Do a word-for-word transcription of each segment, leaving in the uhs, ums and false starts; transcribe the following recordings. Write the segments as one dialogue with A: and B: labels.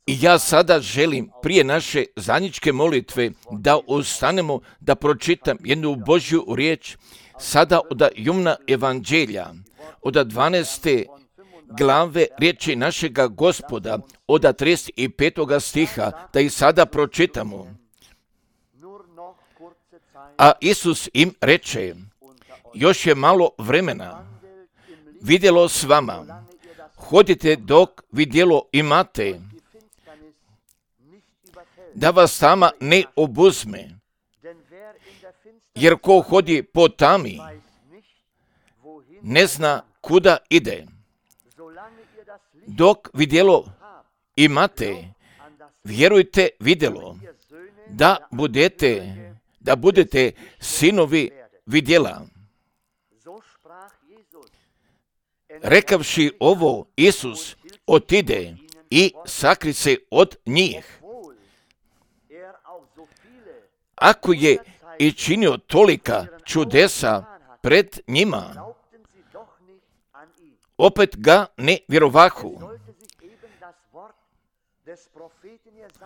A: I ja sada želim prije naše zajedničke molitve da ustanemo da pročitam jednu Božju riječ sada od Jovana Evanđelja, od dvanaeste glave riječi našega Gospoda, od trideset petog stiha, da ih sada pročitamo. A Isus im reče, još je malo vremena, vidjelo s vama, hodite dok vidjelo imate, da vas tama ne obuzme, jer ko hodi po tami, ne zna kuda ide. Dok vidjelo imate, vjerujte vidjelo, da budete, da budete sinovi vidjela. Rekavši ovo, Isus otide i sakri se od njih. Ako je i činio tolika čudesa pred njima, opet ga ne vjerovahu.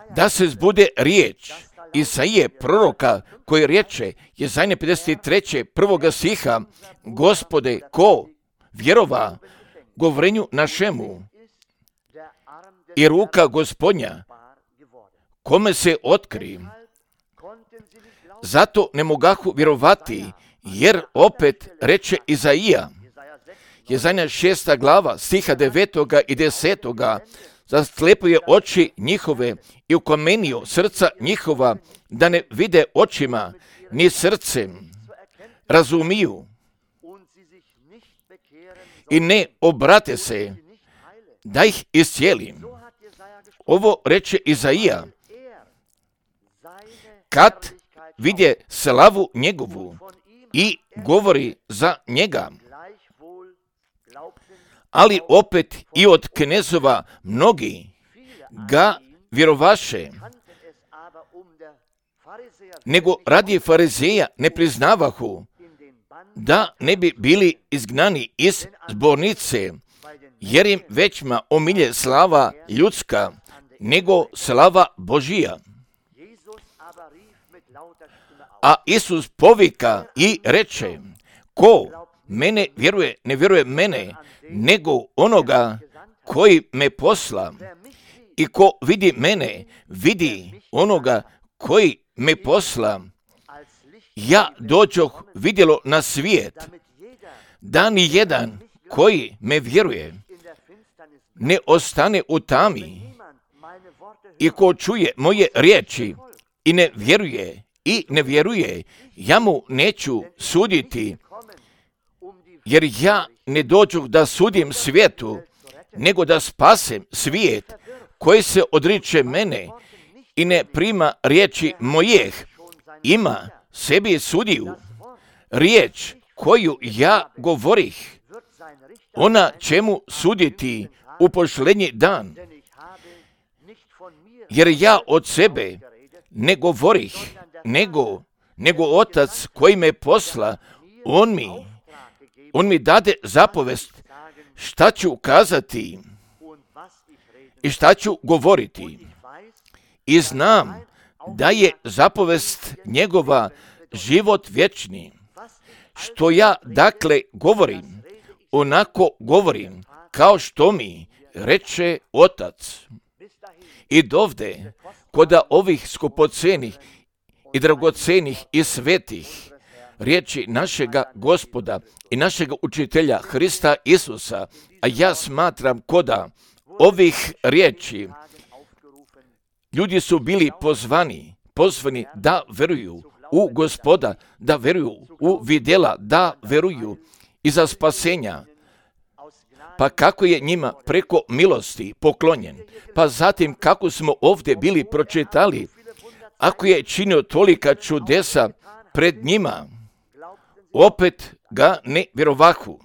A: Da se zbude riječ Isaije proroka koji reče, Jesaja pedeset tri. prvoga stiha, Gospode, ko vjerova govorenju našemu i ruka Gospodnja, kome se otkri. Zato ne mogahu vjerovati, jer opet reče Izaija, Jesaja šesta glava, stiha devetoga i desetoga, zaslepuje oči njihove i ukamenio srca njihova, da ne vide očima, ni srcem, razumiju i ne obrate se, da ih iscijelim. Ovo reče Izaija, kad vidje slavu njegovu i govori za njega. Ali opet i od knezova mnogi ga vjerovaše, nego radi farizeja ne priznavahu, da ne bi bili izgnani iz zbornice, jer im većma omilje slava ljudska, nego slava Božija. A Isus povika i reče, ko mene vjeruje, ne vjeruje mene, nego onoga koji me posla. I ko vidi mene, vidi onoga koji me posla. Ja dođoh vidjelo na svijet, da ni jedan koji me vjeruje ne ostane u tami. I ko čuje moje riječi i ne vjeruje, i ne vjeruje, ja mu neću suditi, jer ja ne dođu da sudim svijetu, nego da spasem svijet koji se odriče mene i ne prima riječi mojih, ima sebi sudiju. Riječ koju ja govorih, ona će mu suditi u posljednji dan, jer ja od sebe ne govorih, nego, nego Otac koji me posla, on mi, on mi dade zapovest šta ću kazati i šta ću govoriti. I znam da je zapovest njegova život vječni. Što ja dakle govorim, onako govorim, kao što mi reče Otac. I dovde, koda ovih skupocenih i dragocenih i svetih riječi našega Gospoda i našega učitelja Hrista Isusa, a ja smatram koda ovih riječi ljudi su bili pozvani, pozvani da veruju u Gospoda, da veruju u vidjela, da veruju iza spasenja. Pa kako je njima preko milosti poklonjen, pa zatim kako smo ovdje bili pročitali, ako je činio tolika čudesa pred njima, opet ga ne vjerovahu.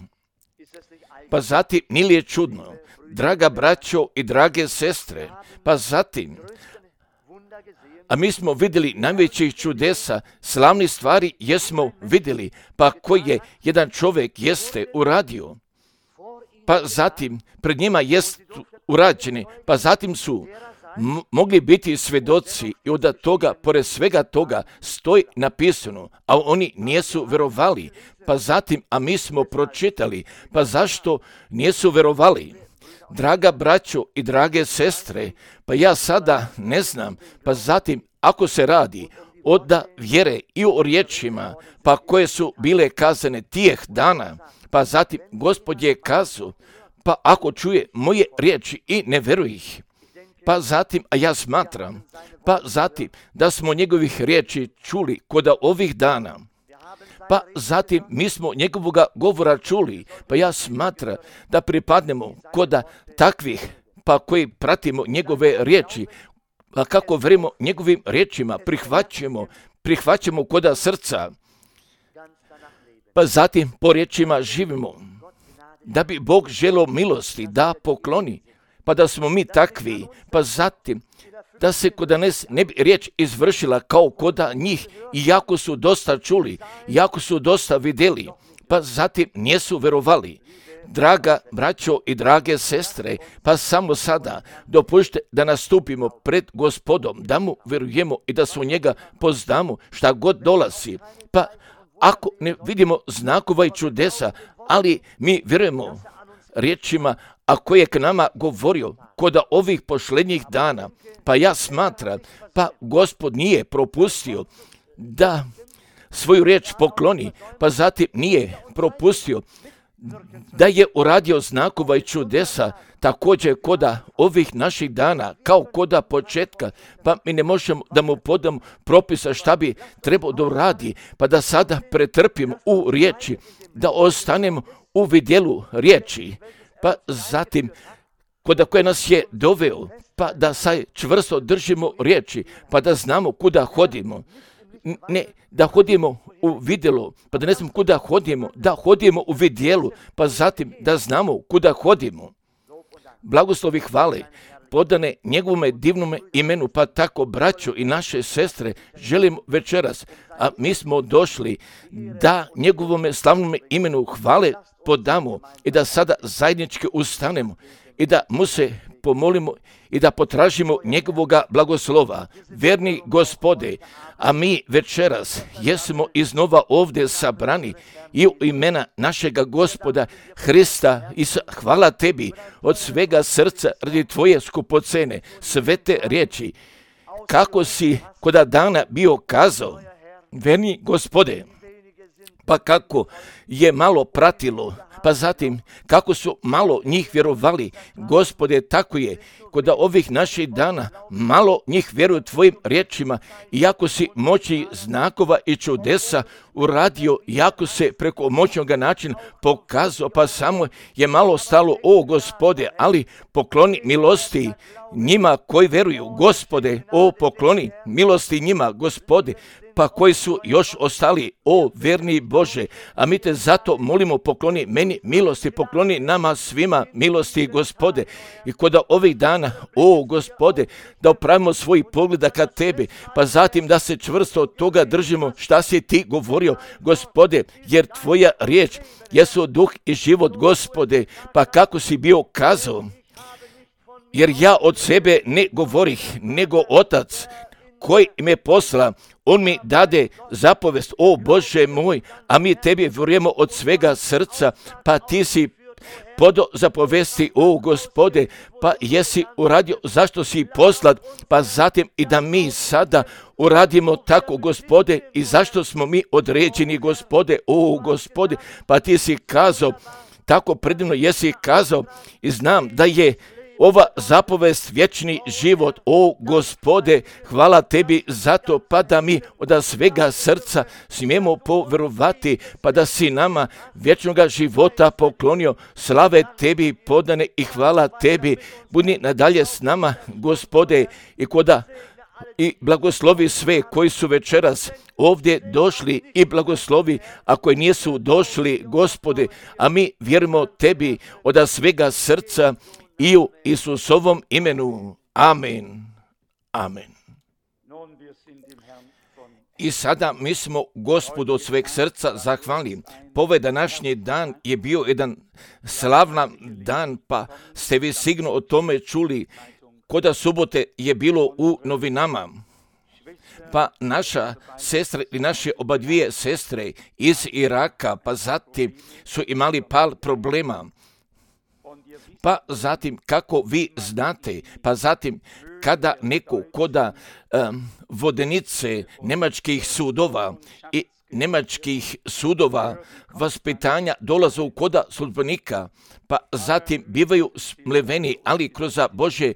A: Pa zatim nije je čudno, draga braćo i drage sestre, pa zatim, a mi smo vidjeli najvećih čudesa, slavnih stvari jesmo vidjeli, pa koji je jedan čovjek jeste uradio. Pa zatim pred njima jest urađene, pa zatim su m- mogli biti svedoci i od toga, pored svega toga, stoji napisano, a oni nisu verovali, pa zatim, a mi smo pročitali, pa zašto nisu verovali? Draga braćo i drage sestre, pa ja sada ne znam, pa zatim, ako se radi od vjere i o riječima, pa koje su bile kazane tijeh dana, pa zatim Gospod je kazao, pa ako čuje moje riječi i ne veruje ih, pa zatim, a ja smatram, pa zatim da smo njegovih riječi čuli kod ovih dana, pa zatim mi smo njegovoga govora čuli, pa ja smatram da pripadnemo kod takvih, pa koji pratimo njegove riječi, a kako verimo njegovim riječima, prihvaćamo, prihvaćamo koda srca, pa zatim po riječima živimo, da bi Bog želio milosti da pokloni, pa da smo mi takvi, pa zatim da se kod nas ne bi riječ izvršila kao koda njih, iako su dosta čuli, iako su dosta vidjeli, pa zatim nisu verovali. Draga braćo i drage sestre, pa samo sada dopušte da nastupimo pred Gospodom, da mu verujemo i da se u njega poznamo šta god dolazi. Pa ako ne vidimo znakova i čudesa, ali mi vjerujemo riječima, a koje je k nama govorio kod ovih posljednjih dana, pa ja smatram, pa Gospod nije propustio da svoju riječ pokloni, pa zatim nije propustio da je uradio znakova i čudesa također koda ovih naših dana, kao koda početka, pa mi ne možemo da mu podamo propisa šta bi trebao da uradi, pa da sada pretrpimo u riječi, da ostanemo u vidjelu riječi, pa zatim koda koje nas je doveo, pa da saj čvrsto držimo riječi, pa da znamo kuda hodimo. Ne da hodimo u vidjelo, pa da ne znamo kuda hodimo, da hodimo u vidjelu, pa zatim da znamo kuda hodimo. Blagoslovi hvale podane njegovome divnome imenu, pa tako braćo i naše sestre želim večeras, a mi smo došli da njegovome slavnome imenu hvale podamo i da sada zajednički ustanemo i da mu se pomolimo i da potražimo njegovoga blagoslova. Verni Gospode, a mi večeras jesmo iznova ovdje sabrani i u imena našega Gospoda Hrista i hvala tebi od svega srca radi tvoje skupocene svete riječi, kako si koda dana bio kazao. Verni Gospode, pa kako je malo pratilo, pa zatim kako su malo njih vjerovali, Gospode, tako je kod ovih naših dana malo njih vjeruju tvojim riječima, iako si moći znakova i čudesa uradio, iako se preko moćnog načina pokazao, pa samo je malo stalo, o Gospode, ali pokloni milosti njima koji vjeruju, Gospode, o pokloni milosti njima, Gospode, pa koji su još ostali, o verni Bože, a mi te zato molimo, pokloni meni milosti, pokloni nama svima milosti, Gospode, i kod ovih dana, o Gospode, da opravimo svoj pogleda ka tebi, pa zatim da se čvrsto od toga držimo šta si ti govorio, Gospode, jer tvoja riječ jesu duh i život, Gospode, pa kako si bio kazao, jer ja od sebe ne govorih, nego Otac koji me posla, on mi dade zapovest, o Bože moj, a mi tebi vjerujemo od svega srca, pa ti si podo zapovesti, o Gospode, pa jesi uradio zašto si poslat, pa zatim i da mi sada uradimo tako, Gospode, i zašto smo mi određeni, Gospode, o Gospode, pa ti si kazao, tako predivno jesi kazao i znam da je ova zapovest vječni život, o Gospode, hvala tebi zato, pa da mi od svega srca smijemo povjerovati, pa da si nama vječnoga života poklonio, slave tebi podane i hvala tebi, budi nadalje s nama, Gospode, i koda i blagoslovi sve koji su večeras ovdje došli i blagoslovi, a koji nisu došli, Gospode, a mi vjerujemo tebi od svega srca i u Isusovom imenu. Amen. Amen. I sada mi smo Gospodu od sveg srca zahvalni. Pa ovaj današnji dan je bio jedan slavna dan, pa ste vi sigurno o tome čuli. Koda subote je bilo u novinama. Pa naša sestra i naše oba dvije sestre iz Iraka, pa zatim su imali par problema. Pa zatim, kako vi znate, pa zatim kada neko koda um, vodenice nemačkih sudova i nemačkih sudova vaspitanja dolaze u koda službenika, pa zatim bivaju smleveni, ali kroz Božje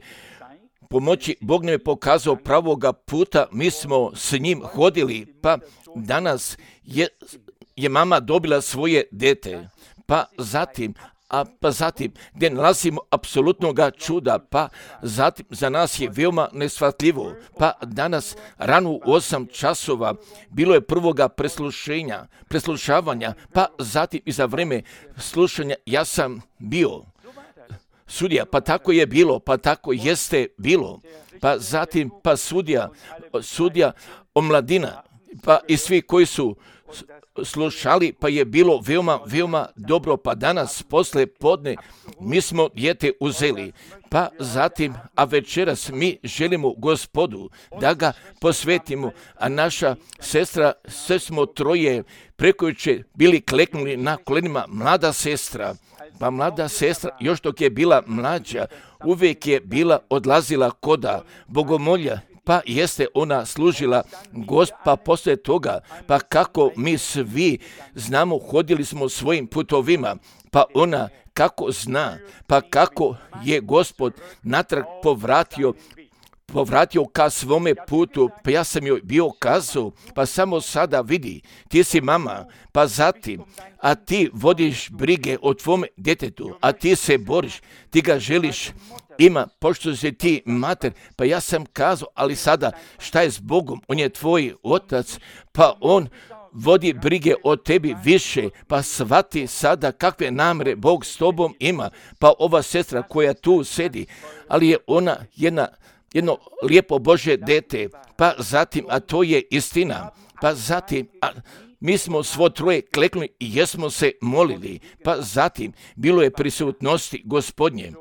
A: pomoći Bog nam je pokazao pravoga puta, mi smo s njim hodili, pa danas je, je mama dobila svoje dete, pa zatim a pa zatim gdje nalazimo apsolutnoga čuda, pa zatim za nas je veoma neshvatljivo, pa danas rano u osam časova bilo je prvoga preslušenja, preslušavanja, pa zatim i za vreme slušanja ja sam bio sudija, pa tako je bilo, pa tako jeste bilo, pa zatim pa sudija, sudija omladina, pa i svi koji su slušali, pa je bilo veoma, veoma dobro, pa danas posle podne mi smo dijete uzeli, pa zatim, a večeras mi želimo Gospodu da ga posvetimo, a naša sestra, sve smo troje prekojuče bili kleknuli na kolenima, mlada sestra, pa mlada sestra, još dok je bila mlađa, uvijek je bila odlazila koda bogomolja, pa jeste ona služila Gosp, pa poslije toga, pa kako mi svi znamo, hodili smo svojim putovima, pa ona kako zna, pa kako je Gospod natrag povratio, povratio ka svome putu, pa ja sam joj bio kazao, pa samo sada vidi, ti si mama, pa zatim, a ti vodiš brige o tvome djetetu, a ti se boriš, ti ga želiš ima, pošto si ti mater, pa ja sam kazao, ali sada šta je s Bogom, on je tvoj otac, pa on vodi brige o tebi više, pa shvati sada kakve namere Bog s tobom ima, pa ova sestra koja tu sedi, ali je ona jedna jedno lijepo Božje dete, pa zatim, a to je istina, pa zatim, a mi smo svo troje kleknuli i jesmo se molili, pa zatim, bilo je prisutnosti Gospodnje,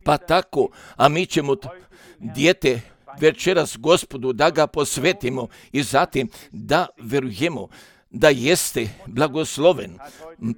A: pa tako, a mi ćemo t- dijete večeras Gospodu da ga posvetimo i zatim da verujemo da jeste blagosloven.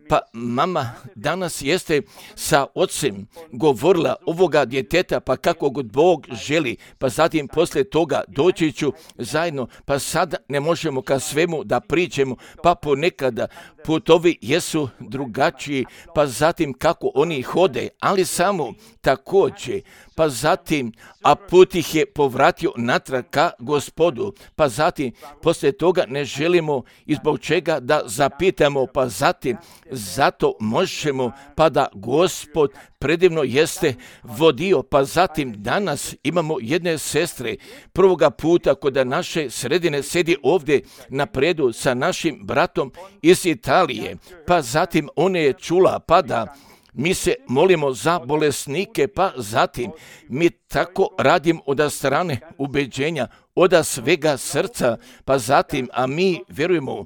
A: Pa mama danas jeste sa ocem govorila ovoga djeteta, pa kako god Bog želi, pa zatim poslije toga doći ću zajedno, pa sada ne možemo ka svemu da priđemo, pa ponekada putovi jesu drugačiji, pa zatim kako oni hode, ali samo također, pa zatim, a put ih je povratio natrag ka Gospodu, pa zatim poslije toga ne želimo i zbog čega da zapitamo, pa zatim zato možemo, pa da Gospod predivno jeste vodio, pa zatim danas imamo jedne sestre prvoga puta kod naše sredine sedi ovdje na predu sa našim bratom iz Italije, pa zatim ona je čula, pa da mi se molimo za bolesnike, pa zatim mi tako radimo od strane ubeđenja, od svega srca, pa zatim, a mi vjerujemo,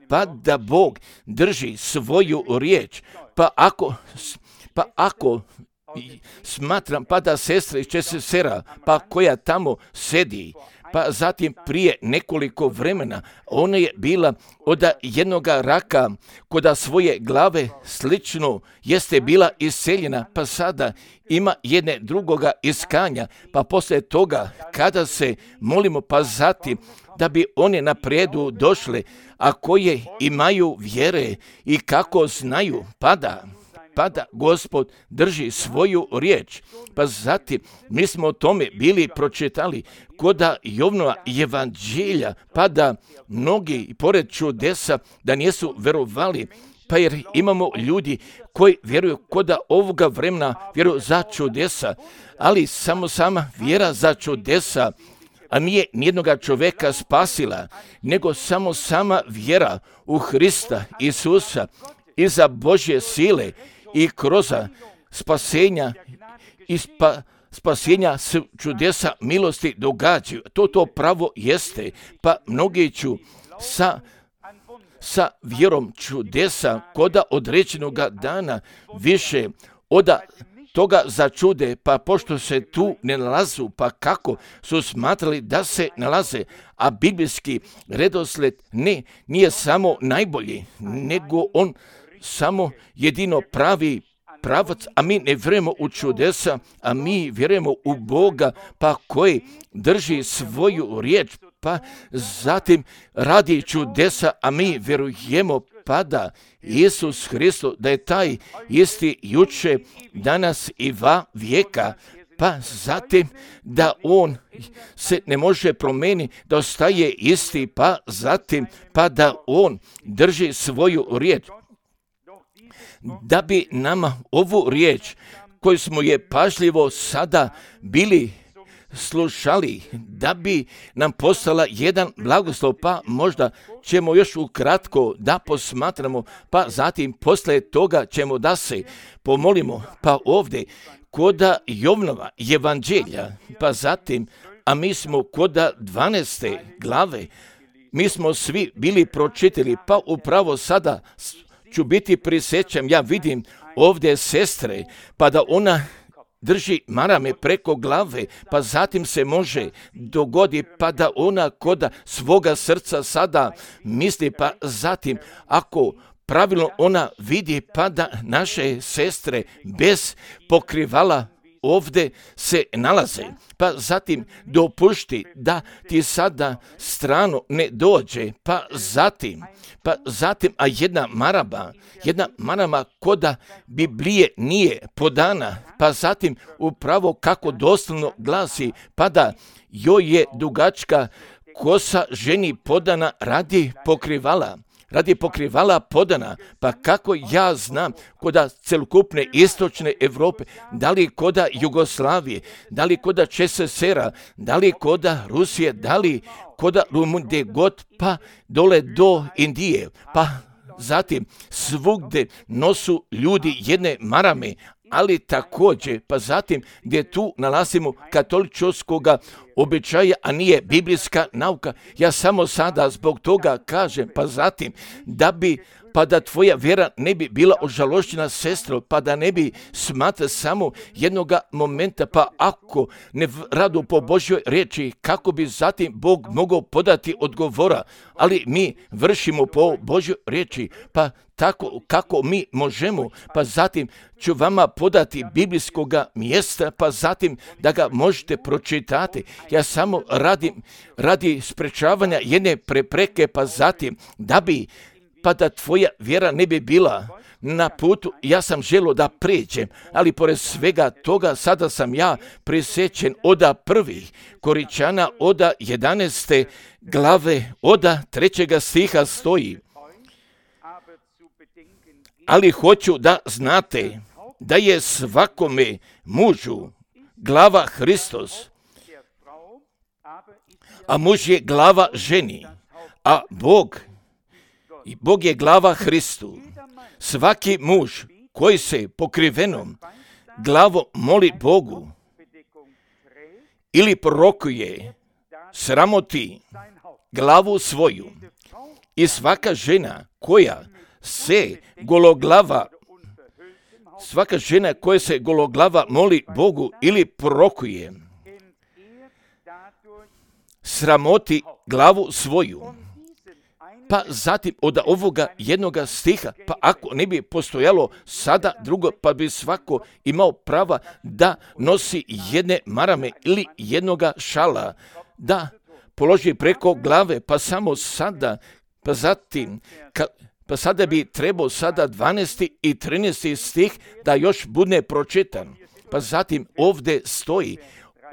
A: pa da Bog drži svoju riječ, pa ako, pa ako smatram, pa da sestra iz Česesera, pa koja tamo sedi, pa zatim prije nekoliko vremena ona je bila od jednoga raka koda svoje glave slično jeste bila iseljena, pa sada ima jedne drugoga iskanja, pa poslije toga kada se molimo, pa zatim da bi one na predu došle, a koje imaju vjere i kako znaju, pa da pa da Gospod drži svoju riječ. Pa zatim mi smo o tome bili pročitali koda Jovnova evanđelja, pa da mnogi pored čudesa da nisu verovali, pa jer imamo ljudi koji vjeruju koda ovoga vremena vjeruju za čudesa, ali samo sama vjera za čudesa, a nije nijednoga čovjeka spasila, nego samo sama vjera u Hrista Isusa i za Božje sile i kroz spasenja i spa, spasenja se čudesa milosti događaju. To to pravo jeste, pa mnogi ću sa, sa vjerom čudesa koda određenog dana više oda toga začude, pa pošto se tu ne nalazu, pa kako su smatrali da se nalaze, a biblijski redosled ne, nije samo najbolji, nego on samo jedino pravi pravac, a mi ne vjerujemo u čudesa, a mi vjerujemo u Boga, pa koji drži svoju riječ, pa zatim radi čudesa, a mi vjerujemo pa da Isus Hristos, da je taj isti juče, danas i va vijeka, pa zatim da on se ne može promijeniti, da ostaje isti, pa zatim pa da on drži svoju riječ. Da bi nama ovu riječ koju smo je pažljivo sada bili slušali, da bi nam postala jedan blagoslov, pa možda ćemo još ukratko da posmatramo, pa zatim posle toga ćemo da se pomolimo, pa ovdje koda Jovnova evanđelja, pa zatim, a mi smo koda dvanaeste glave, mi smo svi bili pročitali, pa upravo sada ću biti prisjećam, ja vidim ovdje sestre, pa da ona drži marame preko glave, pa zatim se može dogodi, pa da ona koda svoga srca sada misli, pa zatim ako pravilno ona vidi, pa da naše sestre bez pokrivala ovdje se nalaze, pa zatim dopušti da ti sada strano ne dođe, pa zatim, pa zatim, a jedna maraba, jedna marama koda Biblije nije podana, pa zatim upravo kako doslovno glasi, pa da joj je dugačka kosa ženi podana radi pokrivala. Radi pokrivala podana, pa kako ja znam koda celokupne istočne Europe, da li koda Jugoslavije, da li koda ČSSR-a, da li koda Rusije, da li koda Rumunije god, pa dole do Indije, pa zatim svugde nosu ljudi jedne marame, ali također, pa zatim gdje tu nalazimo katoličkoga običaja, a nije biblijska nauka, ja samo sada zbog toga kažem, pa zatim da bi, pa da tvoja vjera ne bi bila ožalošćena, sestro, pa da ne bi smatra samo jednoga momenta, pa ako ne radu po Božjoj riječi, kako bi zatim Bog mogao podati odgovora, ali mi vršimo po Božjoj riječi, pa tako kako mi možemo, pa zatim ću vama podati biblijskoga mjesta, pa zatim da ga možete pročitati. Ja samo radim radi sprečavanja jedne prepreke, pa zatim da bi, pa da tvoja vjera ne bi bila na putu, ja sam želio da pređem, ali pored svega toga sada sam ja prisjećen oda prvih Koričana, oda jedanaeste glave, oda trećega stiha stoji. Ali hoću da znate da je svakome mužu glava Hristos, a muž je glava ženi, a Bog, i Bog je glava Hristu. Svaki muž koji se pokrivenom glavo moli Bogu ili prorokuje, sramoti glavu svoju, i svaka žena koja se gologlava, svaka žena koja se gologlava moli Bogu ili prorokuje, sramoti glavu svoju. Pa zatim od ovoga jednoga stiha, pa ako ne bi postojalo sada drugo, pa bi svako imao prava da nosi jedne marame ili jednoga šala, da položi preko glave, pa samo sada, pa zatim, ka, pa sada bi trebao sada dvanaesti i trinaesti stih da još bude pročitan. Pa zatim ovdje stoji,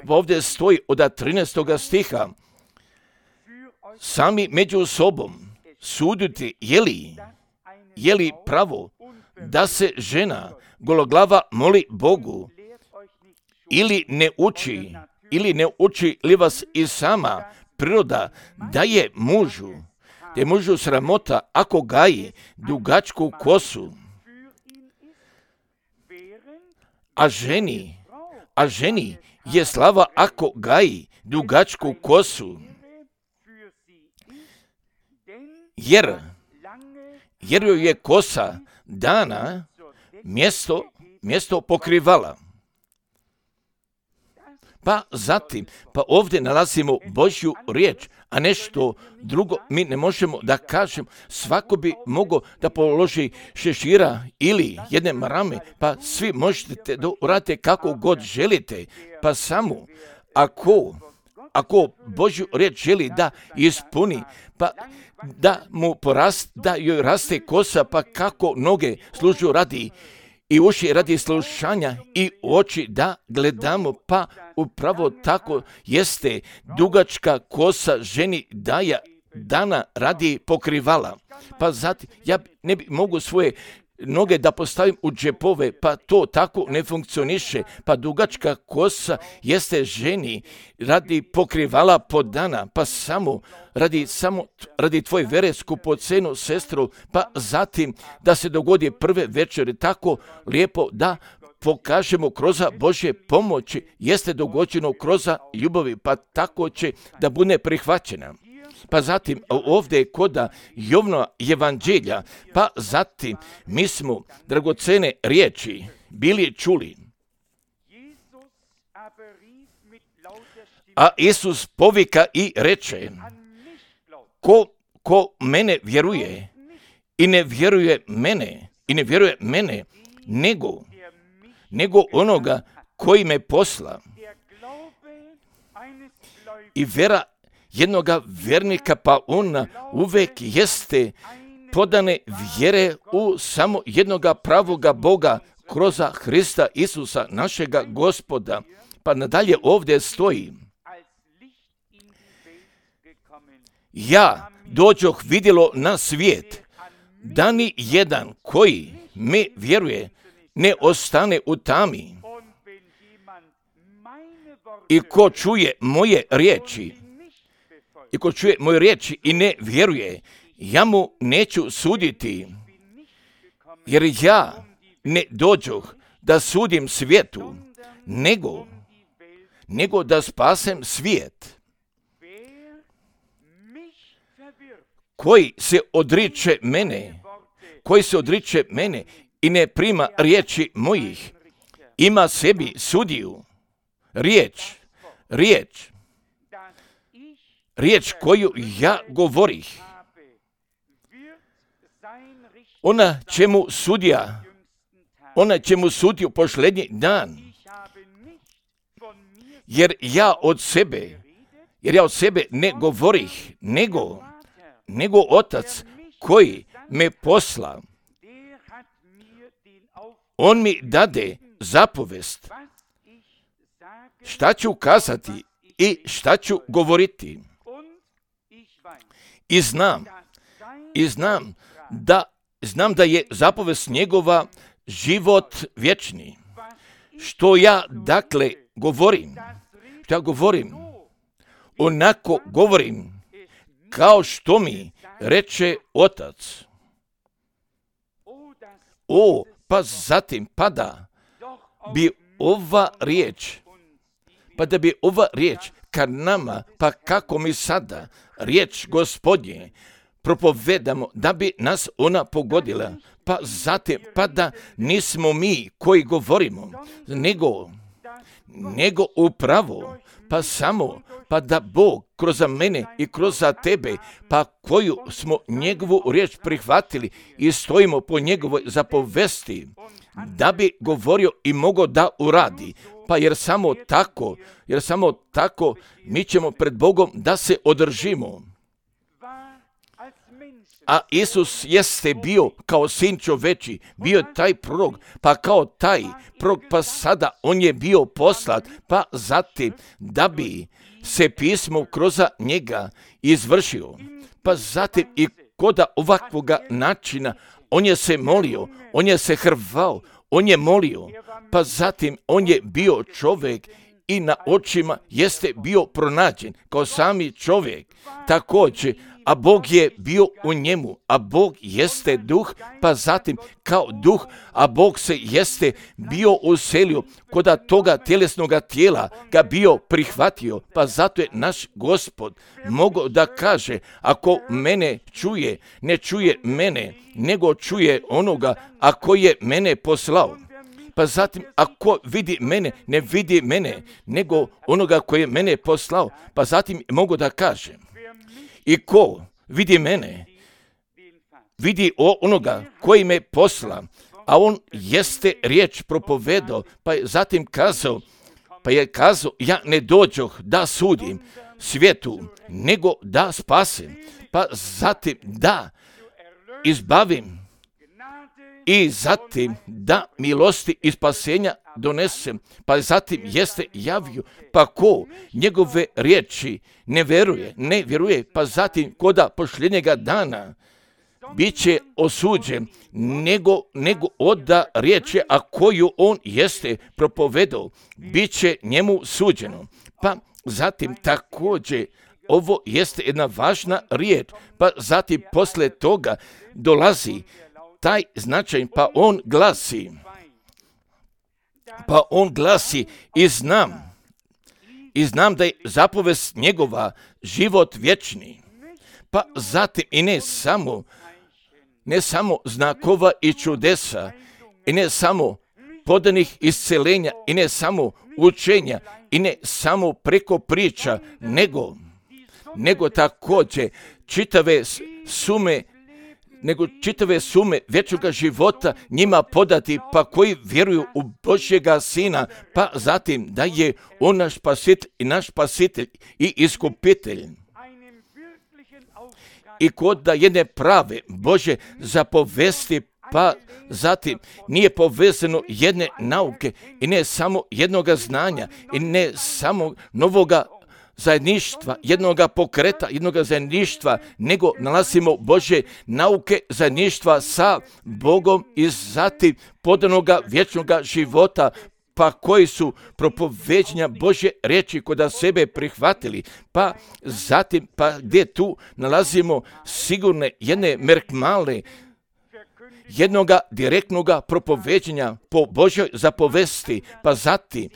A: ovdje stoji od trinaestog stiha, sami među sobom suditi je li, je li pravo da se žena gologlava moli Bogu, ili ne uči, ili ne uči li vas i sama priroda da je mužu, da je mužu sramota ako gaji dugačku kosu, a ženi, a ženi je slava ako gaji dugačku kosu, jer, jer joj je kosa dana mjesto, mjesto pokrivala. Pa zatim, pa ovdje nalazimo Božju riječ, a nešto drugo mi ne možemo da kažemo. Svako bi mogao da položi šešira ili jedne marame, pa svi možete da uradite kako god želite, pa samo ako, ako Božju riječ želi da ispuni, pa da mu porast, da joj raste kosa, pa kako noge služu radi i uši radi slušanja i oči da gledamo, pa upravo tako jeste dugačka kosa ženi daja dana radi pokrivala. Pa zatim, ja ne bi mogu svoje noge da postavim u džepove, pa to tako ne funkcioniše. Pa dugačka kosa jeste ženi radi pokrivala podana, pa samo radi, samo radi tvoje vere skupocenu sestru, pa zatim da se dogodi prve večeri tako lijepo da pokažemo kroz Božje pomoći, jeste dogođeno kroz ljubavi, pa tako će da bude prihvaćena. Pa zatim ovdje kod Jovnova evanđelja, pa zatim mi smo dragocene riječi bili čuli. A Isus povika i reče, ko, ko mene vjeruje i ne vjeruje mene, i ne vjeruje mene, nego, nego onoga koji me posla. I vera jednoga vjernika, pa on uvek jeste podane vjere u samo jednoga pravoga Boga kroz Hrista Isusa, našega Gospoda. Pa nadalje ovdje stoji, ja dođoh vidjelo na svijet, da ni jedan koji me vjeruje ne ostane u tami. I ko čuje moje riječi, i ko čuje moje riječi i ne vjeruje, ja mu neću suditi, jer ja ne dođoh da sudim svijetu, nego, nego da spasem svijet. Koji se odriče mene, koji se odriče mene i ne prima riječi mojih, ima sebi sudiju, riječ, riječ, riječ koju ja govorih. Ona će mu sudija, ona će mu sudiju posljednji dan, jer ja od sebe, jer ja od sebe ne govorih, nego, nego Otac koji me posla, on mi dade zapovest šta ću kazati i šta ću govoriti. I znam, i znam da, znam da je zapovest njegova život vječni. Što ja dakle govorim, što ja govorim, onako govorim kao što mi reče Otac. O, pa zatim, pa da bi ova riječ, pa da bi ova riječ kad nama, pa kako mi sada riječ Gospodnje propovedamo, da bi nas ona pogodila, pa zatim, pa da nismo mi koji govorimo, nego, nego upravo, pa samo, pa da Bog kroz mene i kroz tebe, pa koju smo njegovu riječ prihvatili i stojimo po njegovoj zapovesti, da bi govorio i mogao da uradi. Pa jer samo tako, jer samo tako mi ćemo pred Bogom da se održimo. A Isus jeste bio kao sin čoveči, bio je taj prorok, pa kao taj prorok, pa sada on je bio poslat, pa zatim da bi se pismo kroz njega izvršio. Pa zatim i kod ovakvoga načina on je se molio, on je se hrvao, on je molio, pa zatim on je bio čovjek i na očima jeste bio pronađen kao sami čovjek. Također, a Bog je bio u njemu, a Bog jeste duh, pa zatim kao duh, a Bog se jeste bio uselio koda toga tjelesnoga tijela, ga bio prihvatio, pa zato je naš Gospod mogao da kaže, ako mene čuje, ne čuje mene, nego čuje onoga, ako je mene poslao. Pa zatim, ako vidi mene, ne vidi mene, nego onoga koji je mene poslao. Pa zatim mogu da kažem, i ko vidi mene, vidi onoga koji me posla, a on jeste riječ propovedao, pa je zatim kazao, pa je kazao, ja ne dođoh da sudim svijetu, nego da spasim, pa zatim da izbavim, i zatim da milosti i spasenja donesem, pa zatim jeste javio, pa ko njegove riječi ne vjeruje, ne vjeruje, pa zatim koda pošljenjega dana bit će osuđen, nego, nego oda riječi, a koju on jeste propovedao, bit će njemu suđeno. Pa zatim također ovo jeste jedna važna riječ, pa zatim posle toga dolazi taj značaj, pa on glasi, pa on glasi i znam, i znam da je zapovest njegova život vječni, pa zatim i ne samo, ne samo znakova i čudesa, i ne samo podanih iscelenja, i ne samo učenja, i ne samo preko priča, nego, nego također čitave sume nego čitave sume vječnoga života njima podati, pa koji vjeruju u Božjega Sina, pa zatim da je on naš spasitelj i naš spasitelj i iskupitelj. I kod da jedne prave Božje zapovesti, pa zatim nije povezano jedne nauke i ne samo jednoga znanja i ne samo novoga zajedništva, jednoga pokreta, jednoga zajedništva, nego nalazimo Božje nauke zajedništva sa Bogom i zatim podanoga vječnoga života, pa koji su propoveđenja Božje riječi koda sebe prihvatili, pa zatim, pa gdje tu nalazimo sigurne jedne merkmale, jednoga direktnoga propoveđenja po Božjoj zapovesti, pa zatim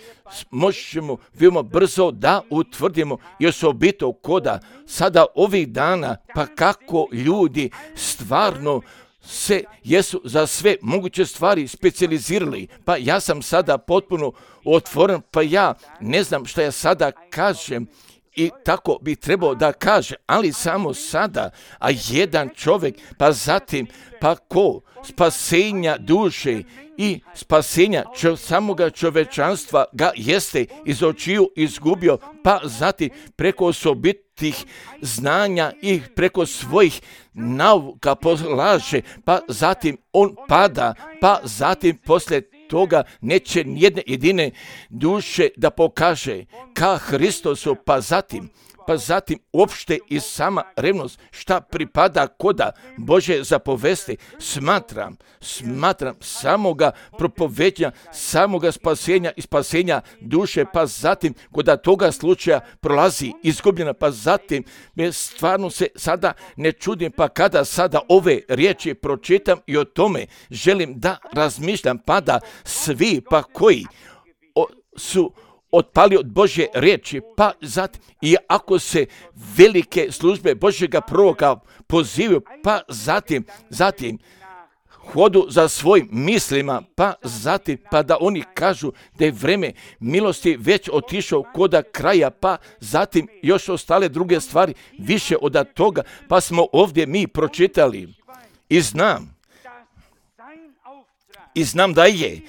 A: možemo veoma brzo da utvrdimo i osobito koda sada ovih dana, pa kako ljudi stvarno se jesu za sve moguće stvari specijalizirali, pa ja sam sada potpuno otvoren, pa ja ne znam šta ja sada kažem, i tako bi trebao da kaže, ali samo sada, a jedan čovjek, pa zatim, pa ko spasenja duše i spasenja čo, samoga čovečanstva ga jeste iz očiju izgubio, pa zatim preko osobitih znanja i preko svojih nauka polaže, pa zatim on pada, pa zatim poslije toga neće nijedne jedine duše da pokaže ka Hristosu, pa zatim, pa zatim uopšte i sama revnost šta pripada koda Bože zapovesti, smatram, smatram samoga propoveđenja, samoga spasenja i spasenja duše, pa zatim koda toga slučaja prolazi izgubljena, pa zatim me stvarno se sada ne čudim, pa kada sada ove riječi pročitam i o tome želim da razmišljam, pa da svi pa koji o, su otpali od Božje riječi, pa zatim i ako se velike službe Božjega proroka pozivaju, pa zatim, zatim hodu za svojim mislima, pa zatim, pa da oni kažu da je vreme milosti već otišao koda kraja, pa zatim još ostale druge stvari više od toga, pa smo ovdje mi pročitali i znam, i znam da je,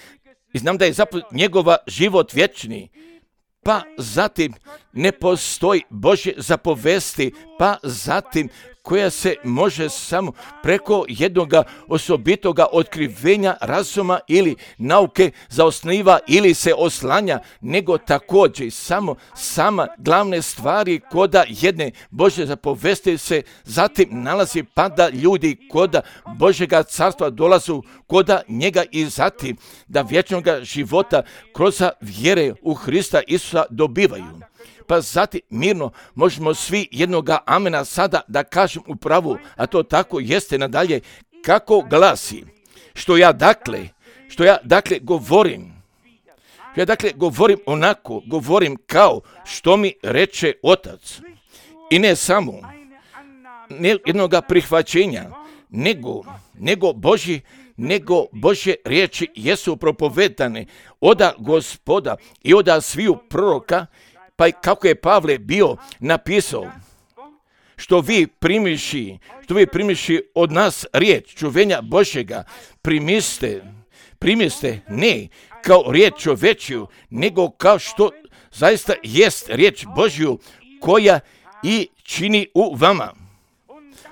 A: i znam da je zapravo njegova život vječni, pa zatim ne postoji Božje zapovesti, pa zatim koja se može samo preko jednoga osobitoga otkrivenja razuma ili nauke zaosniva ili se oslanja, nego također samo sama glavne stvari koda jedne Božje zapovesti se zatim nalazi, pa da ljudi koda Božjega carstva dolazu koda njega i zatim da vječnoga života kroz vjere u Hrista Isusa dobivaju. pa zatim mirno možemo svi jednoga amena sada da kažem u pravu, a to tako jeste nadalje, kako glasi, što ja dakle, što ja dakle govorim, ja dakle govorim onako, govorim kao što mi reče Otac. I ne samo ne jednoga prihvaćenja, nego, nego Božji, nego Božje riječi jesu propovedane oda Gospoda i oda sviju proroka, pa i kako je Pavle bio napisao, što vi primiši, što vi primiši od nas riječ čuvenja Božjega, primiste, primiste ne kao riječ čovečju, nego kao što zaista jest riječ Božju koja i čini u vama.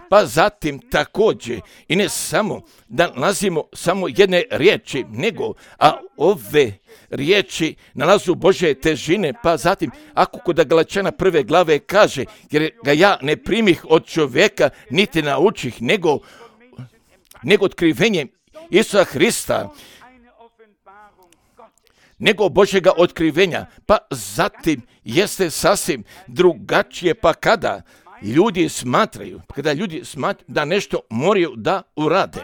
A: Pa zatim također, i ne samo da nalazimo samo jedne riječi, nego, a ove riječi nalazu Božje težine, pa zatim, ako kod Galačana prve glave kaže, jer ga ja ne primih od čovjeka, niti naučih, nego, nego otkrivenjem Isusa Hrista, nego Božjega otkrivenja, pa zatim jeste sasvim drugačije, pa kada ljudi smatraju, kada ljudi smatraju da nešto moraju da urade,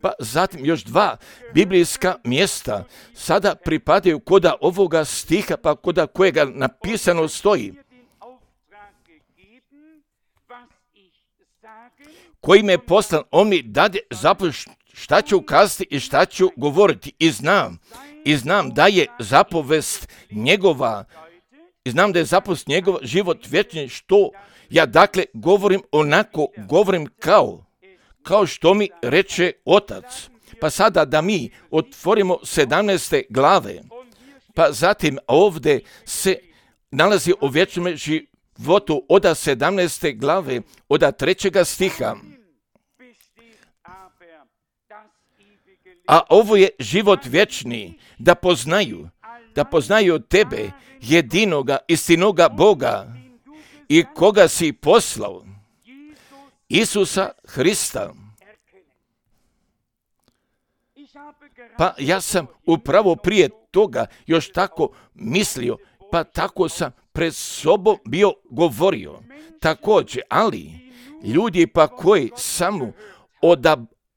A: pa zatim još dva biblijska mjesta sada pripadaju koda ovoga stiha, pa koda kojega napisano stoji, koji me poslan, on mi dade zapovijed šta ću ukazati i šta ću govoriti, i znam, i znam da je zapovest njegova, i znam da je zapovest njegova život vječni, što ja dakle govorim onako, govorim kao, kao što mi reče Otac. Pa sada da mi otvorimo sedamnaeste glave, pa zatim ovdje se nalazi o vječnom životu oda sedamnaeste glave, oda trećega stiha. A ovo je život vječni, da poznaju, da poznaju tebe, jedinoga, istinoga Boga, i koga si poslao, Isusa Hrista. Pa ja sam upravo prije toga još tako mislio, pa tako sam pred sobom bio govorio. Također, ali ljudi pa koji samo od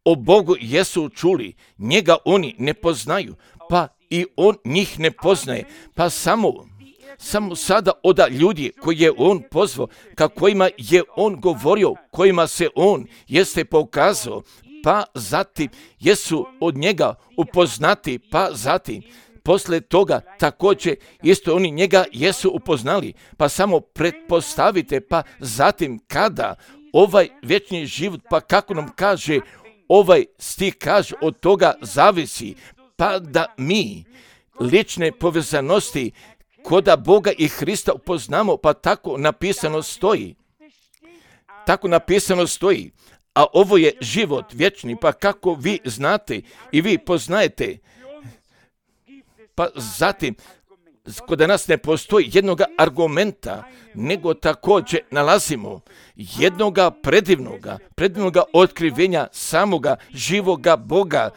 A: o Bogu jesu čuli, njega oni ne poznaju, pa i on njih ne poznaje, pa samo Samo sada oda ljudi koji je on pozvao, ka kojima je on govorio, kojima se on jeste pokazao, pa zatim jesu od njega upoznati, pa zatim posle toga također isto oni njega jesu upoznali, pa samo pretpostavite, pa zatim kada ovaj vječni život, pa kako nam kaže ovaj stih, kaže od toga zavisi, pa da mi lične povezanosti koda Boga i Hrista upoznamo, pa tako napisano stoji. Tako napisano stoji. A ovo je život vječni, pa kako vi znate i vi poznajete, pa zatim, kod nas ne postoji jednoga argumenta, nego također nalazimo jednoga predivnoga, predivnoga otkrivenja samoga živoga Boga,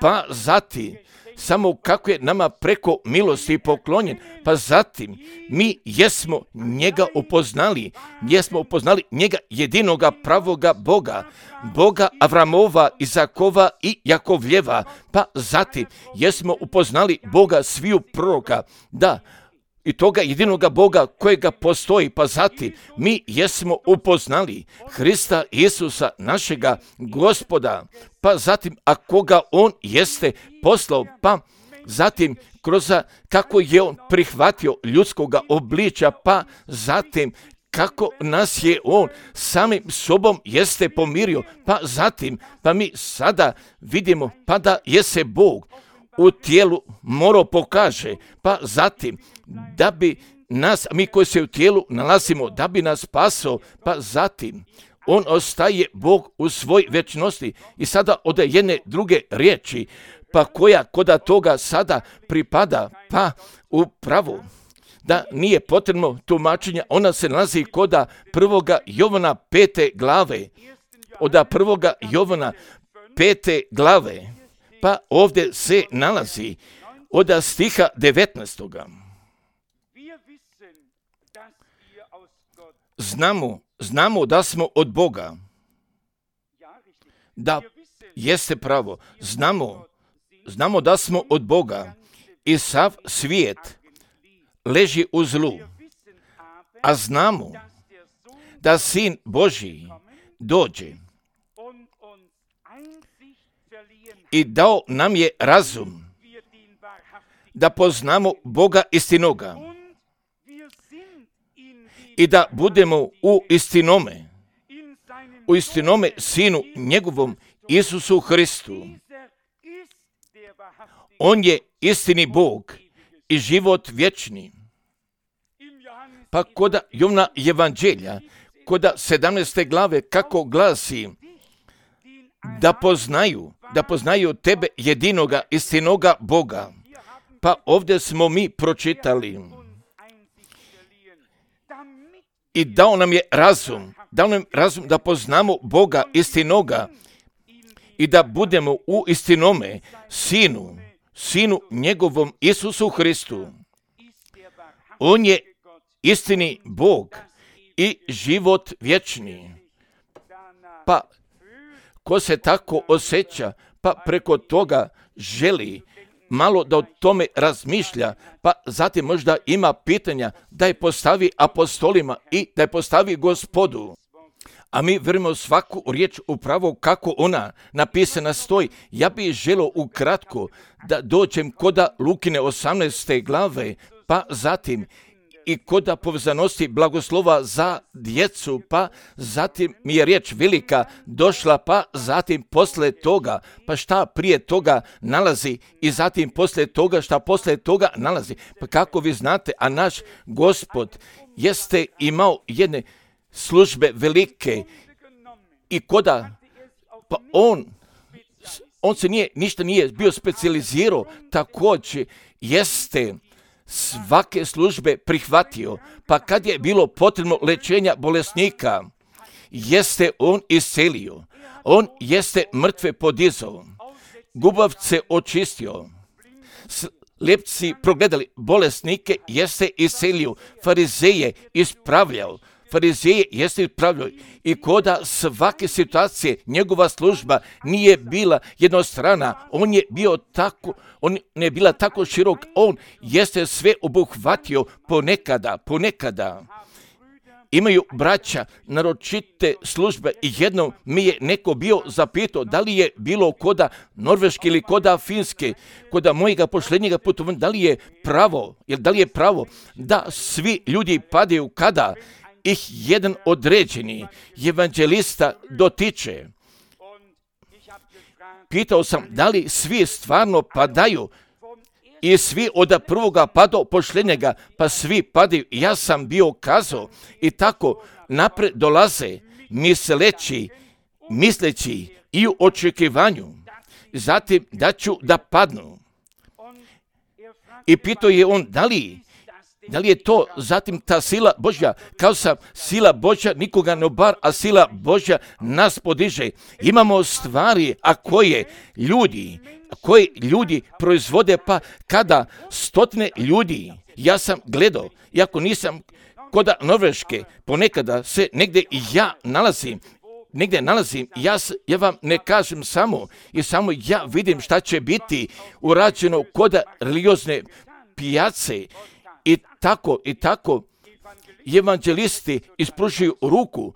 A: pa zatim, samo kako je nama preko milosti poklonjen, pa zatim mi jesmo njega upoznali, jesmo upoznali njega jedinoga pravoga Boga, Boga Avramova, Izakova i Jakovljeva, pa zatim jesmo upoznali Boga sviju proroka, da, i toga jedinoga Boga kojega postoji, pa zatim mi jesmo upoznali Hrista Isusa, našega Gospoda, pa zatim a koga on jeste poslao, pa zatim kroz kako je on prihvatio ljudskoga obličja, pa zatim kako nas je on samim sobom jeste pomirio, pa zatim, pa mi sada vidimo, pa da je se Bog u tijelu morao pokaže, pa zatim da bi nas, mi koji se u tijelu nalazimo, da bi nas spasao, pa zatim on ostaje Bog u svoj vječnosti. I sada od jedne druge riječi, pa koja koda toga sada pripada, pa upravo da nije potrebno tumačenja, ona se nalazi koda prvoga Jovana pete glave, od prvoga Jovana pete glave, pa ovdje se nalazi od stiha devetnaestoga. Znamo, znamo da smo od Boga. Da, jeste pravo. Znamo, znamo da smo od Boga i sav svijet leži u zlu. A znamo da Sin Božji dođe i dao nam je razum da poznamo Boga istinoga i da budemo u istinome, u istinome Sinu njegovom Isusu Hristu. On je istini Bog i život vječni. Pa koda Jovana Evanđelja, koda sedamnaeste glave, kako glasi, da poznaju, da poznaju tebe jedinoga, istinoga Boga. Pa ovdje smo mi pročitali. I dao nam je razum, dao nam razum da poznamo Boga istinoga i da budemo u istinome Sinu, Sinu njegovom Isusu Hristu. On je istini Bog i život vječni. Pa ko se tako osjeća, pa preko toga želi malo da o tome razmišlja, pa zatim možda ima pitanja da je postavi apostolima i da je postavi Gospodu. A mi vjerujemo svaku riječ upravo kako ona napisana stoji. Ja bih želio ukratko da dođem koda Lukine osamnaeste glave, pa zatim i koda povezanosti blagoslova za djecu, pa zatim mi je riječ velika došla, pa zatim posle toga, pa šta prije toga nalazi i zatim posle toga šta posle toga nalazi. Pa kako vi znate, a naš Gospod jeste imao jedne službe velike i koda, pa on, on se nije, ništa nije bio specijalizirao, također jeste svake službe prihvatio, pa kad je bilo potrebno lečenja bolesnika, jeste on iscelio, on jeste mrtve podizao, gubavce očistio, slijepci progledali, bolesnike jeste iscelio, farizeje ispravljao, farizeje jeste ispravljao i koda svake situacije njegova služba nije bila jednostrana, on je bio tako, on ne bila tako širok, on jeste sve obuhvatio ponekada, ponekada. Imaju braća naročite službe i jednom mi je neko bio zapitao da li je bilo koda Norveške ili koda Finske, koda mojega posljednjega putovanja, da li je pravo, jer da li je pravo da svi ljudi padaju kada ih jedan određeni evanđelista dotiče. Pitao sam da li svi stvarno padaju i svi od prvoga pa do posljednjega, pa svi padaju. Ja sam bio kazao i tako napred dolaze misleći, misleći i u očekivanju. Zatim da ću da padnu. I pitao je on da li Da li je to zatim ta sila Božja? Kao sam, sila Božja nikoga ne obar, a sila Božja nas podiže. Imamo stvari, a koje ljudi, a koje ljudi proizvode, pa kada stotine ljudi, ja sam gledao, iako nisam koda Norveške, ponekada se negdje i ja nalazim, negdje nalazim, ja, ja vam ne kažem samo, i samo ja vidim šta će biti urađeno koda religiozne pijace. I tako, i tako, evanđelisti ispružuju ruku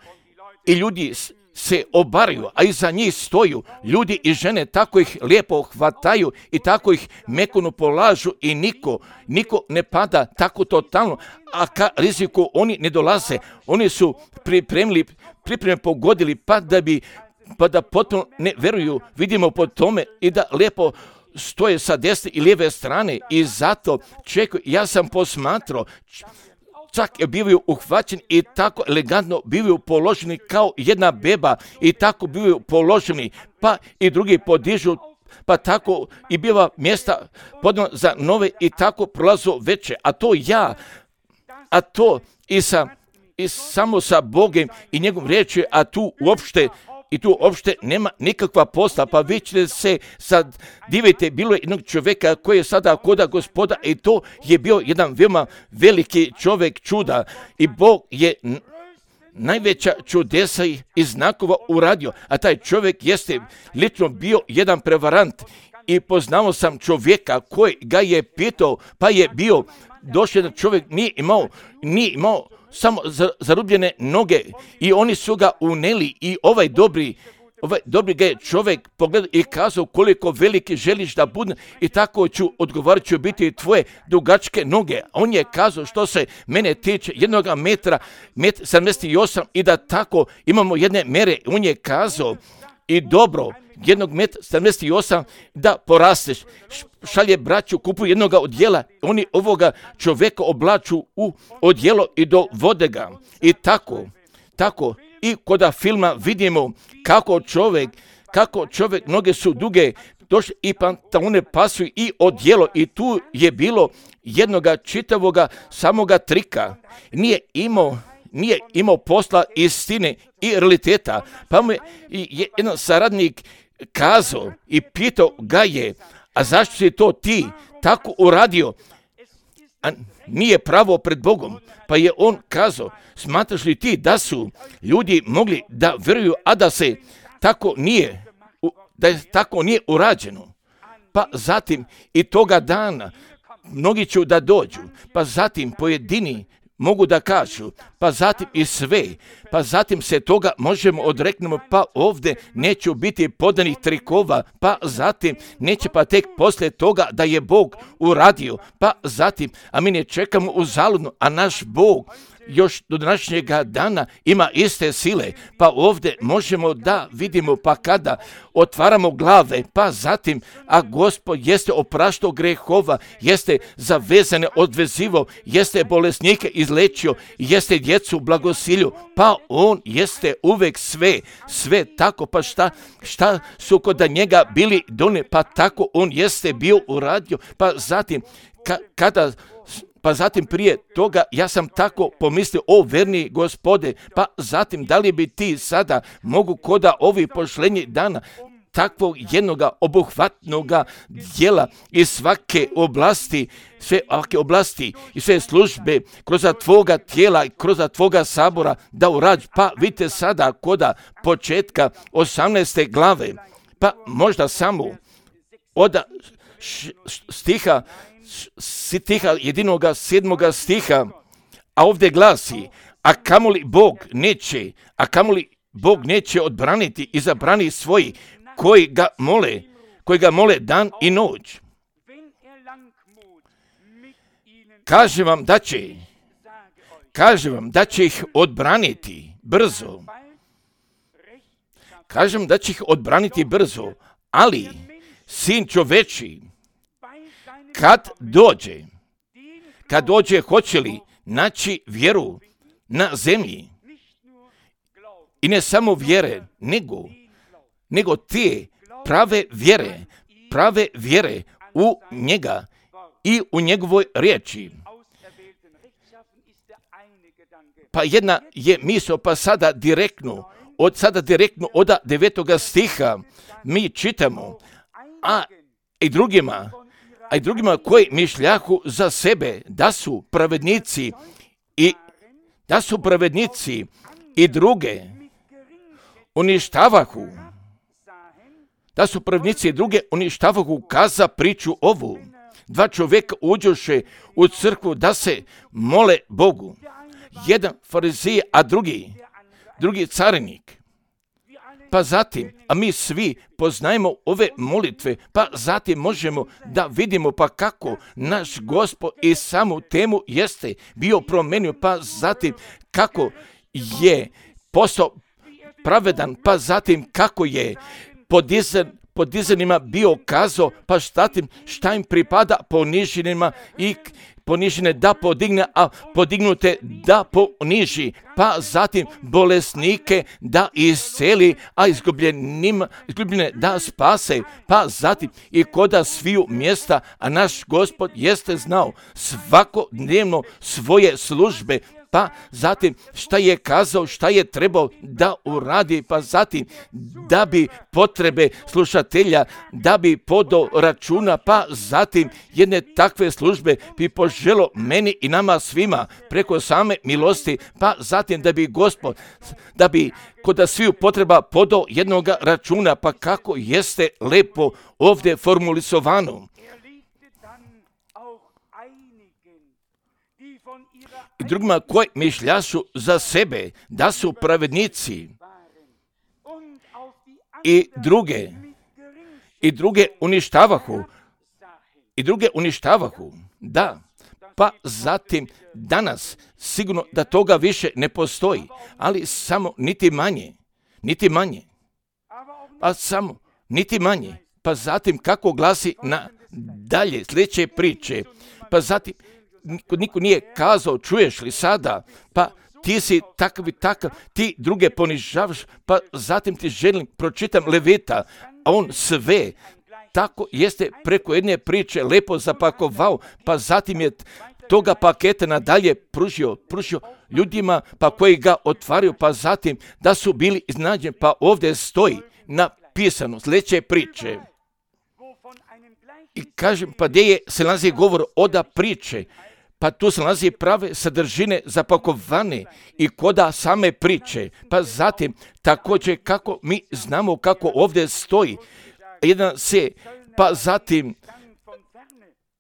A: i ljudi se obaraju, a iza njih stoju ljudi i žene, tako ih lijepo hvataju i tako ih mekano polažu i niko, niko ne pada tako totalno, a ka riziku oni ne dolaze. Oni su pripremili, pripremili pogodili pa da bi, pa da potpuno ne veruju, vidimo po tome i da lijepo stoje sa desne i lijeve strane i zato čekaju. Ja sam posmatrao, čak je bivaju uhvaćeni i tako elegantno bivaju položeni kao jedna beba i tako bivaju položeni, pa i drugi podižu, pa tako i biva mjesta podano za nove i tako prolazu veće, a to ja, a to i, sa, i samo sa Bogom i njegovom riječi, a tu uopšte i tu uopšte nema nikakva posla, pa vi ćete se sad divite, bilo je jednog čovjeka koji je sada koda Gospoda i to je bio jedan veoma veliki čovjek čuda i Bog je najveća čudesa i znakova uradio, a taj čovjek jeste lično bio jedan prevarant i poznao sam čovjeka koji ga je pitao, pa je bio došao jedan čovjek, nije imao, nije imao samo zarubljene noge i oni su ga uneli i ovaj dobri Ovaj dobri ga je čovjek pogledao i kazao koliko veliki želiš da budem i tako ću odgovorit ću biti tvoje dugačke noge. On je kazao što se mene tiče jednog metra, met sedamdeset osam i da tako imamo jedne mere. On je kazao i dobro, jednog metra sedamdeset osam da porasteš. Šalje braću, kupuju jednoga odjela, oni ovoga čovjeka oblaču u odjelo i dovode ga. I tako, tako. I koda filma vidimo kako čovjek, kako čovjek, noge su duge, došli i pantalone pasuju i odjelo i tu je bilo jednoga čitavoga samoga trika. Nije imao, nije imao posla istine i realiteta. Pa mu je jedan saradnik kazao i pitao ga je, a zašto si to ti tako uradio? A nije pravo pred Bogom. Pa je on kazao, smatraš li ti da su ljudi mogli da vjeruju, a da se tako nije, da je tako nije urađeno? Pa zatim i toga dana mnogi će da dođu, pa zatim pojedini mogu da kažu, pa zatim i sve, pa zatim se toga možemo odreknemo, pa ovdje neće biti podanih trikova, pa zatim neće pa tek poslije toga da je Bog uradio, pa zatim, a mi ne čekamo uzaludno, a naš Bog još do današnjega dana ima iste sile, pa ovdje možemo da vidimo, pa kada otvaramo glave, pa zatim, a Gospod jeste opraštao grehova, jeste zavezane odvezivo, jeste bolesnike izlečio, jeste djecu blagosilju, pa on jeste uvek sve, sve tako, pa šta, šta su kod njega bili doni, pa tako on jeste bio uradio, pa zatim, ka, kada Pa zatim prije toga ja sam tako pomislio, o verni Gospode, pa zatim da li bi ti sada mogu koda ovi pošlenji dana takvog jednoga obuhvatnoga djela iz svake oblasti, sve ovake oblasti i sve službe kroz tvoga tijela i kroz tvoga sabora da urađu. Pa vidite sada koda početka osamnaeste glave, pa možda samo od stiha stiha jedinoga sedmoga stiha, a ovdje glasi, a kamoli Bog neće, a kamoli Bog neće odbraniti i zabrani svoji koji ga mole, koji ga mole dan i noć. Kaže vam da će, kaže vam da će ih odbraniti brzo. Kažem da će ih odbraniti brzo, ali sin čoveči, kad dođe, kad dođe, hoće li naći vjeru na zemlji? I ne samo vjere, nego, nego te prave vjere, prave vjere u njega i u njegovoj riječi. Pa jedna je misao, pa sada direktno, od sada direktno od devetoga stiha mi čitamo, a i drugima, a i drugima koji mišljahu za sebe da su pravednici i da su pravednici i druge uništavahu, da su pravednici i druge uništavahu, kaza priču ovu. Dva čovjeka uđoše u crkvu da se mole Bogu. Jedan farizij, a drugi, drugi carinik. Pa zatim, a mi svi poznajemo ove molitve, pa zatim možemo da vidimo pa kako naš Gospod i samu temu jeste bio promenio, pa zatim kako je postao pravedan, pa zatim kako je podizan, podizanima bio kazao, pa zatim šta im pripada poniženima i ponižene da podigne, a podignute da poniži, pa zatim bolesnike da isceli, a izgubljenima, izgubljene da spase, pa zatim i koda sviju mjesta, a naš Gospod jeste znao svakodnevno svoje službe, pa zatim šta je kazao, šta je trebao da uradi, pa zatim da bi potrebe slušatelja, da bi podao računa, pa zatim jedne takve službe bi poželo meni i nama svima preko same milosti, pa zatim da bi Gospod, da bi kod sviju potreba podao jednog računa, pa kako jeste lepo ovdje formulisovano. I drugima koji mišljašu za sebe da su pravednici i druge, i druge uništavahu, i druge uništavahu, da, pa zatim danas sigurno da toga više ne postoji, ali samo niti manje, niti manje, pa samo niti manje, pa zatim kako glasi na dalje sljedeće priče, pa zatim niko, niko nije kazao, čuješ li sada, pa ti si takav i takav, ti druge ponižavaš, pa zatim ti želim, pročitam Levita, a on sve tako jeste preko jedne priče lepo zapakovao, pa zatim je toga paketa nadalje pružio, pružio ljudima, pa koji ga otvaraju, pa zatim da su bili iznađeni, pa ovdje stoji napisano sljedeće priče. I kažem, pa gdje je se nalazi govor oda priče, pa tu se nalazi prave sadržine zapakovane i koda same priče, pa zatim također kako mi znamo kako ovdje stoji, jedan se, pa zatim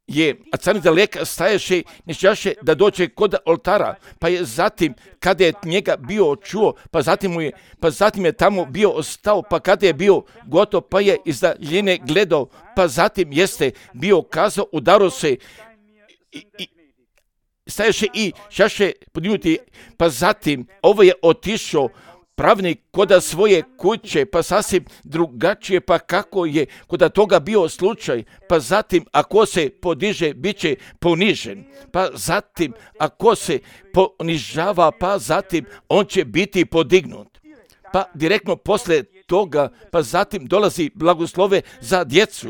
A: je, a cani daleka staješe, nešćaše da dođe kod oltara, pa je zatim, kada je njega bio čuo, pa zatim, mu je, pa zatim je tamo bio ostao, pa kada je bio gotov, pa je iz daljine gledao, pa zatim jeste bio kazao, udaro se i, i staješe i šaše podignuti, pa zatim ovo je otišao pravnik koda svoje kuće, pa sasvim drugačije, pa kako je koda toga bio slučaj, pa zatim ako se podiže, bit će ponižen, pa zatim ako se ponižava, pa zatim on će biti podignut. Pa direktno posle toga, pa zatim dolazi blagoslove za djecu.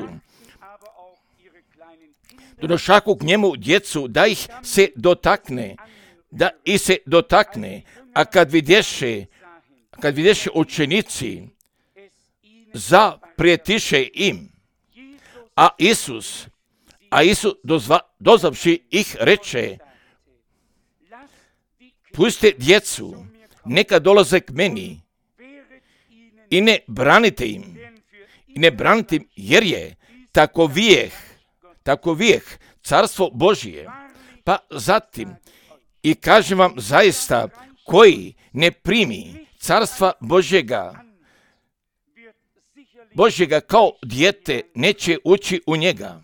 A: Donošaku k njemu djecu, da ih se dotakne, da ih se dotakne, a kad vidješe, kad vidješe učenici, zaprijetiše im, a Isus, a Isus dozva, dozavši ih reče, pustite djecu, neka dolaze k meni i ne branite im, i ne branite im, jer je takovijeh, takovijeh carstvo Božije. Pa zatim, i kažem vam zaista, koji ne primi carstva Božjega, Božjega kao dijete, neće ući u njega.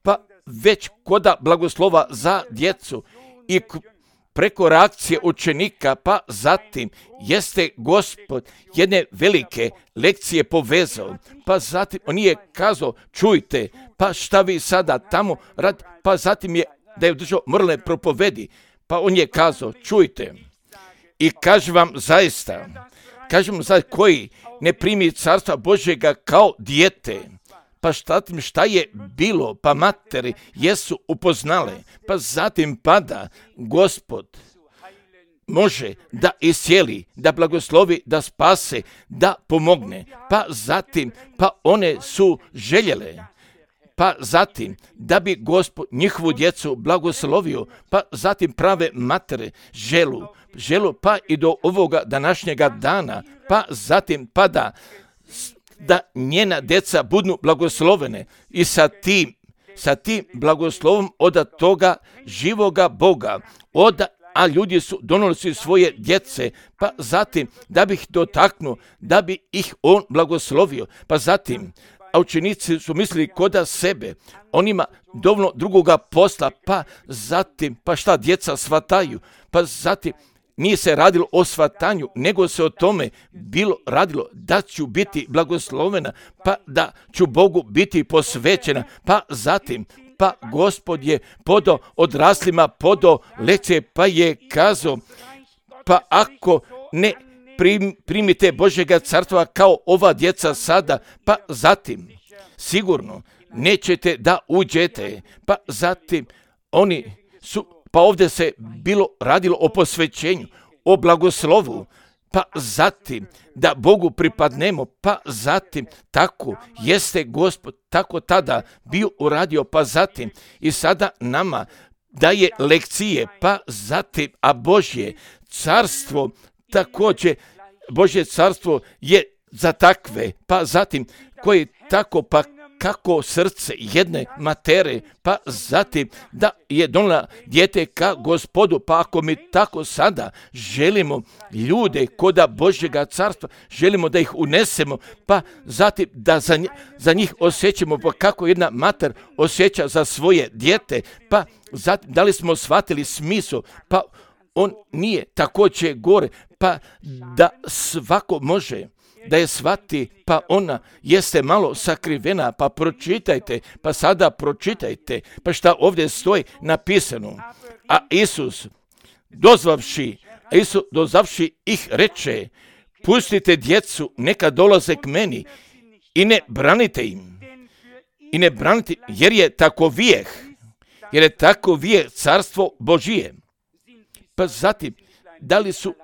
A: Pa već koda blagoslova za djecu i preko reakcije učenika, pa zatim jeste Gospod jedne velike lekcije povezao, pa zatim on je kazao, čujte, pa šta vi sada tamo rad, pa zatim je da je držao moralne propovedi, pa on je kazao, čujte, i kažem vam zaista, kažem vam zaista, koji ne primi carstva Božjega kao dijete, pa šta, šta je bilo, pa materi jesu upoznale, pa zatim pada Gospod može da iscijeli, da blagoslovi, da spase, da pomogne, pa zatim, pa one su željele, pa zatim, da bi Gospod njihovu djecu blagoslovio, pa zatim prave matere želu, želu pa i do ovoga današnjega dana, pa zatim pada da njena djeca budu blagoslovene i sa tim, sa tim blagoslovom od toga živoga Boga, od a ljudi su donosili svoje djece, pa zatim da bi ih dotaknuo, da bi ih on blagoslovio, pa zatim, a učenici su mislili koda sebe, on ima dovoljno drugoga posla, pa zatim, pa šta djeca shvataju, pa zatim, nije se radilo o shvatanju, nego se o tome bilo radilo da ću biti blagoslovena, pa da ću Bogu biti posvećena, pa zatim, pa Gospod je podao odraslima, podao lekcije, pa je kazao, pa ako ne prim, primite Božjega carstva kao ova djeca sada, pa zatim, sigurno nećete da uđete, pa zatim oni su pa ovdje se bilo radilo o posvećenju, o blagoslovu, pa zatim da Bogu pripadnemo, pa zatim tako jeste Gospod tako tada bio uradio, pa zatim i sada nama daje lekcije, pa zatim, a Božje carstvo također, Božje carstvo je za takve, pa zatim koji tako, pa kako srce jedne matere, pa zatim da je donela dijete ka Gospodu, pa ako mi tako sada želimo ljude koda Božjega carstva, želimo da ih unesemo, pa zatim da za, za njih osjećamo, pa kako jedna mater osjeća za svoje dijete, pa zatim da li smo shvatili smisao, pa on nije također gore, pa da svako može da je shvati, pa ona jeste malo sakrivena, pa pročitajte, pa sada pročitajte, pa šta ovdje stoji napisano. A Isus, dozvavši, a Isus dozvavši ih reče, pustite djecu, neka dolaze k meni i ne branite im. I ne branite, jer je tako vijeh, jer je tako vijeh carstvo Božije. Pa zatim, da li su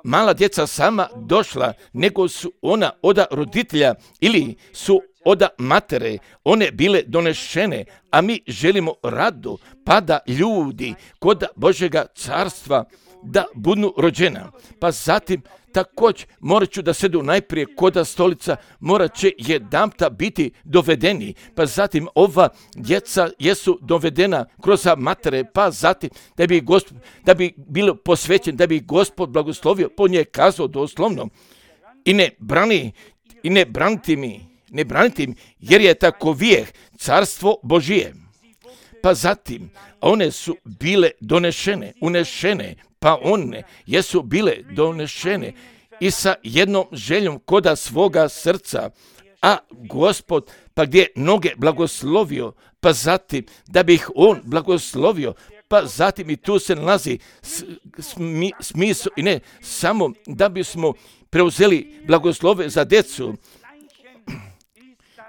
A: mala djeca sama došla, nego su ona oda roditelja ili su oda matere, one bile donešene, a mi želimo rado, pa da ljudi kod Božjega carstva da budu rođena. Pa zatim također morat ću da sedu najprije koda stolica, morat će jedanputa biti dovedeni, pa zatim ova djeca jesu dovedena kroz matere, pa zatim da bi, Gospod, da bi bilo posvećen, da bi Gospod blagoslovio, po nje kazao doslovno, i ne brani, i ne braniti mi, ne braniti mi, jer je tako vijeh carstvo Božije. Pa zatim, one su bile donešene, unešene, pa one jesu bile donešene i sa jednom željom koda svoga srca, a Gospod, pa gdje noge blagoslovio, pa zatim da bi ih on blagoslovio, pa zatim i tu se nalazi smi, smisao i ne samo da bismo preuzeli blagoslove za djecu,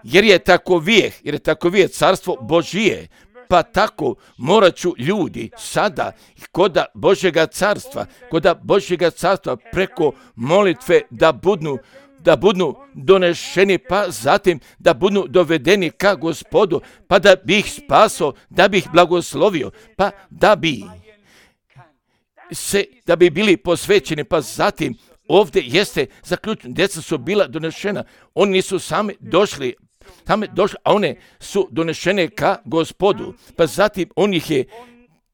A: jer je tako vijeh, jer je tako vijeh carstvo Božije. Pa tako morat ću ljudi sada koda Božjega carstva, koda Božjega carstva preko molitve da budu, da budu donešeni, pa zatim da budu dovedeni ka Gospodu, pa da bi ih spasao, da bi ih blagoslovio, pa da bi se, da bi bili posvećeni, pa zatim ovdje jeste zaključeno, djeca su bila donešena, oni nisu sami došli, tamo došli, a one su donešene ka Gospodu, pa zatim on ih je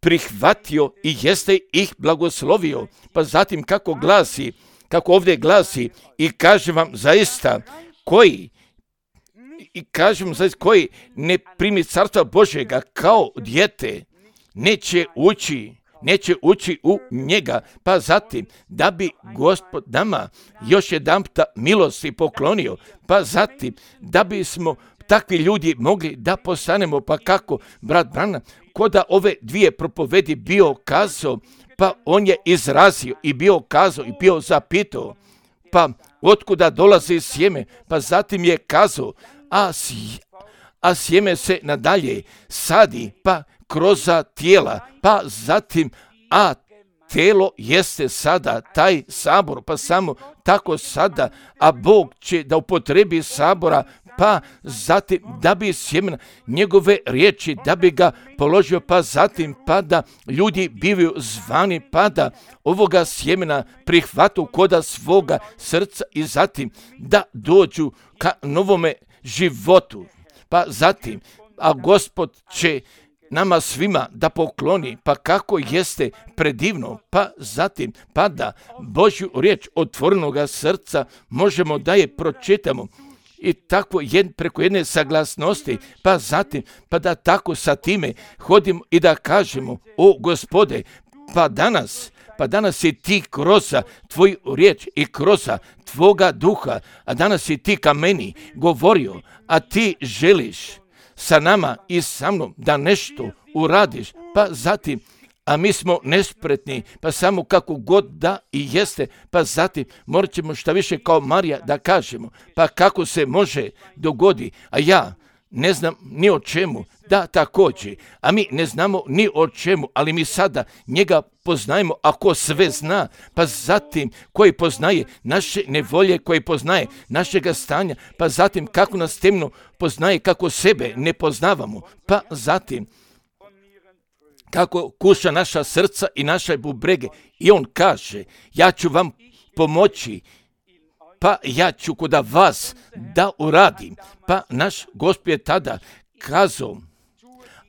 A: prihvatio i jeste ih blagoslovio, pa zatim kako glasi, kako ovdje glasi, i kažem vam zaista, koji, i kažem vam zaista, koji ne primi carstva Božjega kao dijete, neće ući, neće ući u njega, pa zatim da bi Gospod nama još jedanputa milosti poklonio, pa zatim da bismo takvi ljudi mogli da postanemo, pa kako brat Branham koda ove dvije propovedi bio kazao, pa on je izrazio i bio kazao i bio zapitao, pa otkuda dolazi sjeme, pa zatim je kazao, a, a sjeme se nadalje sadi, pa kroz tijela, pa zatim, a tijelo jeste sada taj sabor, pa samo tako sada, a Bog će da upotrebi sabora, pa zatim da bi sjemena njegove riječi, da bi ga položio, pa zatim pa da ljudi bivaju zvani, pa da ovoga sjemena prihvatu koda svoga srca i zatim da dođu ka novome životu. Pa zatim, a Gospod će nama svima da pokloni, pa kako jeste predivno, pa zatim, pa da Božju riječ otvorenoga srca možemo da je pročitamo i tako jed, preko jedne saglasnosti, pa zatim, pa da tako sa time hodimo i da kažemo, o Gospode, pa danas, pa danas si ti kroz tvoju riječ i kroz tvoga duha, a danas si ti ka meni govorio, a ti želiš sa nama i sa mnom da nešto uradiš, pa zatim, a mi smo nespretni, pa samo kako god da i jeste, pa zatim morat ćemo šta više kao Marija da kažemo, pa kako se može dogodi, a ja ne znam ni o čemu, da također, a mi ne znamo ni o čemu, ali mi sada njega poznajemo, ako sve zna, pa zatim koji poznaje naše nevolje, koji poznaje našega stanja, pa zatim kako nas temno poznaje, kako sebe ne poznavamo, pa zatim kako kuša naša srca i naše bubrege. I on kaže, ja ću vam pomoći, pa ja ću kod vas da uradim. Pa naš Gospod je tada kazao,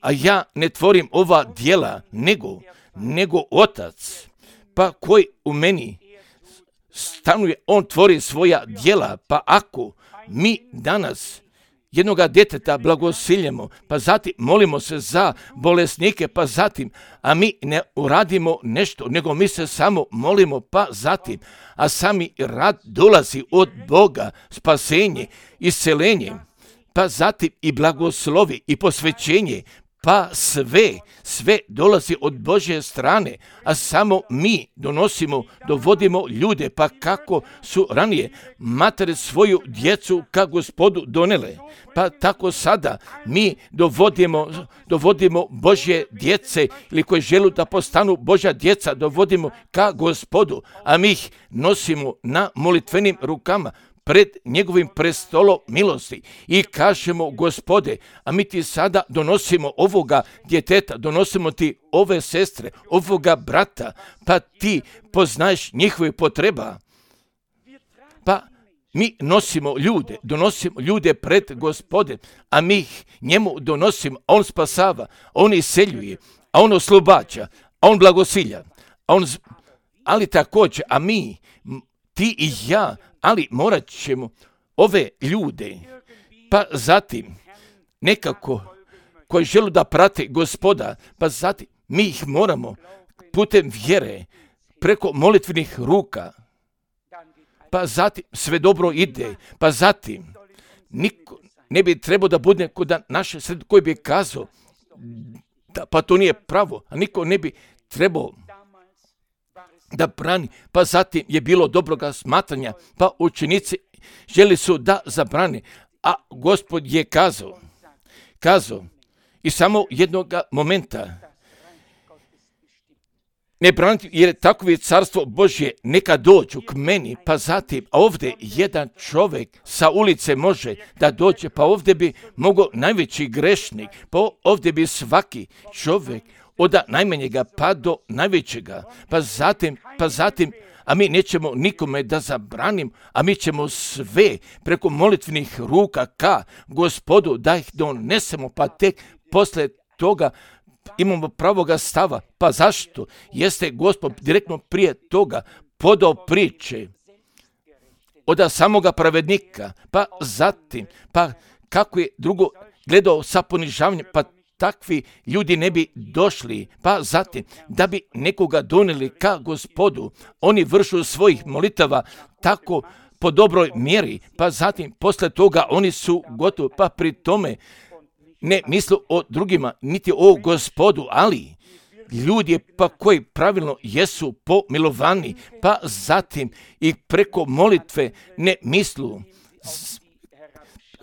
A: a ja ne tvorim ova djela, nego, nego Otac, pa koji u meni stanuje, on tvori svoja djela. Pa ako mi danas jednoga djeteta blagosiljemo, pa zatim molimo se za bolesnike, pa zatim, a mi ne uradimo nešto, nego mi se samo molimo, pa zatim, a sami rad dolazi od Boga, spasenje, iscelenje, pa zatim i blagoslovi i posvećenje, pa sve, sve dolazi od Božje strane, a samo mi donosimo, dovodimo ljude, pa kako su ranije matere svoju djecu ka Gospodu donele, pa tako sada mi dovodimo, dovodimo Božje djece ili koji žele da postanu Božja djeca, dovodimo ka Gospodu, a mi ih nosimo na molitvenim rukama pred njegovim prestolom milosti i kažemo, Gospode, a mi ti sada donosimo ovoga djeteta, donosimo ti ove sestre, ovoga brata, pa ti poznaješ njihove potreba. Pa mi nosimo ljude, donosimo ljude pred Gospodem, a mi ih njemu donosimo, a on spasava, on iseljuje, a on oslobađa, a on blagosilja, a on, ali također, a mi, ti i ja, ali morat ćemo ove ljude, pa zatim nekako koji žele da prate Gospoda, pa zatim mi ih moramo putem vjere, preko molitvenih ruka, pa zatim sve dobro ide, pa zatim niko ne bi trebao da bude kod naše sred koji bi kazao, da, pa to nije pravo, a niko ne bi trebao da brani, pa zatim je bilo dobroga smatranja, pa učenici želi su da zabrani, a Gospod je kazao, kazao i samo jednog momenta, ne braniti, jer takovi carstvo Božje neka dođu k meni, pa zatim, a ovdje jedan čovjek sa ulice može da dođe, pa ovdje bi mogao najveći grešnik, pa ovdje bi svaki čovjek od najmanjega pa do najvećega, pa zatim, pa zatim, a mi nećemo nikome da zabranim, a mi ćemo sve preko molitvenih ruka ka Gospodu da ih donesemo, pa tek posle toga imamo pravoga stava. Pa zašto? Jeste Gospod direktno prije toga podao priče od samoga pravednika, pa zatim, pa kako je drugo gledao sa ponižavanjem, pa takvi ljudi ne bi došli, pa zatim da bi nekoga doneli ka Gospodu, oni vršu svojih molitava tako po dobroj mjeri, pa zatim posle toga oni su gotovi, pa pri tome ne misle o drugima, niti o Gospodu, ali ljudi pa koji pravilno jesu pomilovani, pa zatim i preko molitve ne mislu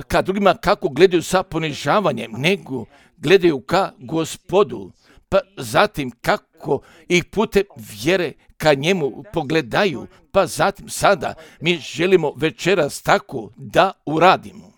A: ka drugima kako gledaju sa ponižavanjem, nego gledaju ka Gospodu, pa zatim kako ih putem vjere ka njemu pogledaju, pa zatim sada mi želimo večeras tako da uradimo.